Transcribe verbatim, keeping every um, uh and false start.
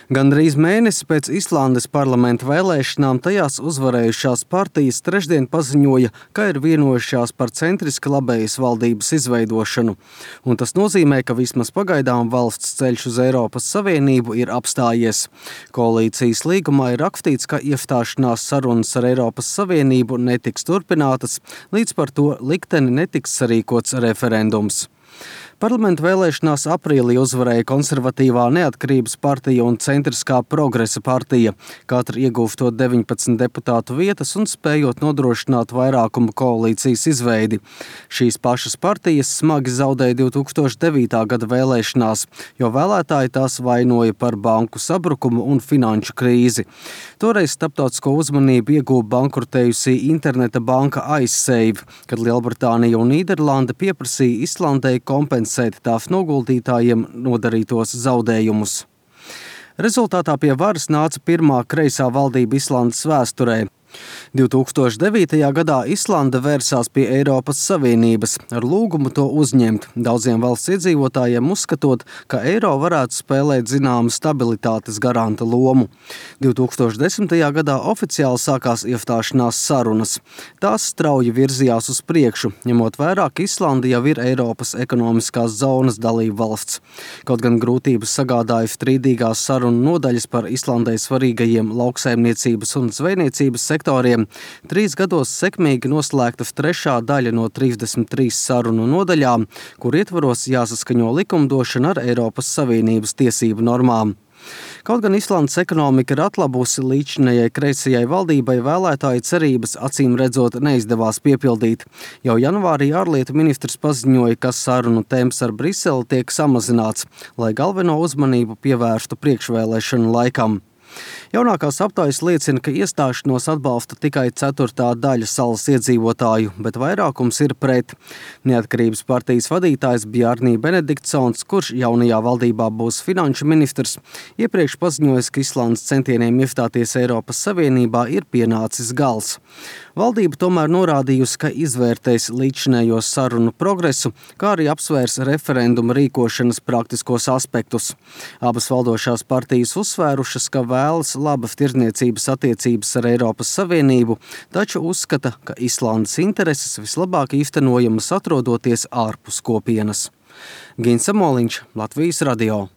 Gandrīz mēnesi pēc Islandes parlamenta vēlēšanām tajās uzvarējušās partijas trešdien paziņoja, ka ir vienojušās par centriski labējas valdības izveidošanu. Un tas nozīmē, ka vismaz pagaidām valsts ceļš uz Eiropas Savienību ir apstājies. Koalīcijas līgumā ir rakstīts, ka iestāšanās sarunas ar Eiropas Savienību netiks turpinātas, līdz par to likteni netiks sarīkots referendums. Parlamenta vēlēšanās aprīlī uzvarēja konservatīvā Neatkarības partija un centriskā Progresa partija, katra ieguvstot deviņpadsmit deputātu vietas un spējot nodrošināt vairākumu koalīcijas izveidi. Šīs pašas partijas smagi zaudēja divi tūkstoši devītā gada vēlēšanās, jo vēlētāji tās vainoja par banku sabrukumu un finanšu krīzi. Toreiz starptautisko uzmanību ieguva bankrotējusī interneta banka Icesave, kad Lielbritānija un Nīderlande pieprasīja Islandei kompensēt tās noguldītājiem nodarītos zaudējumus. Rezultātā pie varas nāca pirmā kreisā valdība Islandes vēsturē. divi tūkstoši devītajā gadā Islande vērsās pie Eiropas Savienības ar lūgumu to uzņemt, daudziem valsts iedzīvotājiem uzskatot, ka eiro varētu spēlēt zināmu stabilitātes garanta lomu. divi tūkstoši desmitajā gadā oficiāli sākās iestāšanās sarunas. Tās strauji virzījās uz priekšu, ņemot vērā, ka Islande jau ir Eiropas ekonomiskās zonas dalība valsts. Kaut gan grūtības sagādāja strīdīgās sarunu nodaļas par Islandei svarīgajiem lauksaimniecības un zvejniecības sektoriem, trīs gados sekmīgi noslēgta trešā daļa no trīsdesmit trīs sarunu nodaļām, kur ietvaros jāsaskaņo likumdošana ar Eiropas Savienības tiesību normām. Kaut gan Islandes ekonomika ir atlabusi, līdzinējai kreisajai valdībai vēlētāju cerības acīm redzot neizdevās piepildīt. Jau janvārī ārlietu ministrs paziņoja, ka sarunu temps ar Briseli tiek samazināts, lai galveno uzmanību pievērstu priekšvēlēšanu laikam. Jaunākās aptaujas liecina, ka iestāšanos atbalsta tikai ceturtā daļa salas iedzīvotāju, bet vairākums ir pret. Neatkarības partijas vadītājs Bjarni Benediktsons, kurš jaunajā valdībā būs finanšu ministrs, iepriekš paziņojis, ka Islandes centieniem iestāties Eiropas Savienībā ir pienācis gals. Valdība tomēr norādījusi, ka izvērtēs līdzinējos sarunu progresu, kā arī apsvērs referenduma rīkošanas praktiskos aspektus. Abas valdošās partijas uzsvērušas, ka vēlas labas tirdzniecības attiecības ar Eiropas Savienību, taču uzskata, ka Islandes intereses vislabāk īstenojamas atrodoties ārpus kopienas. Gins Samoliņš, Latvijas radio.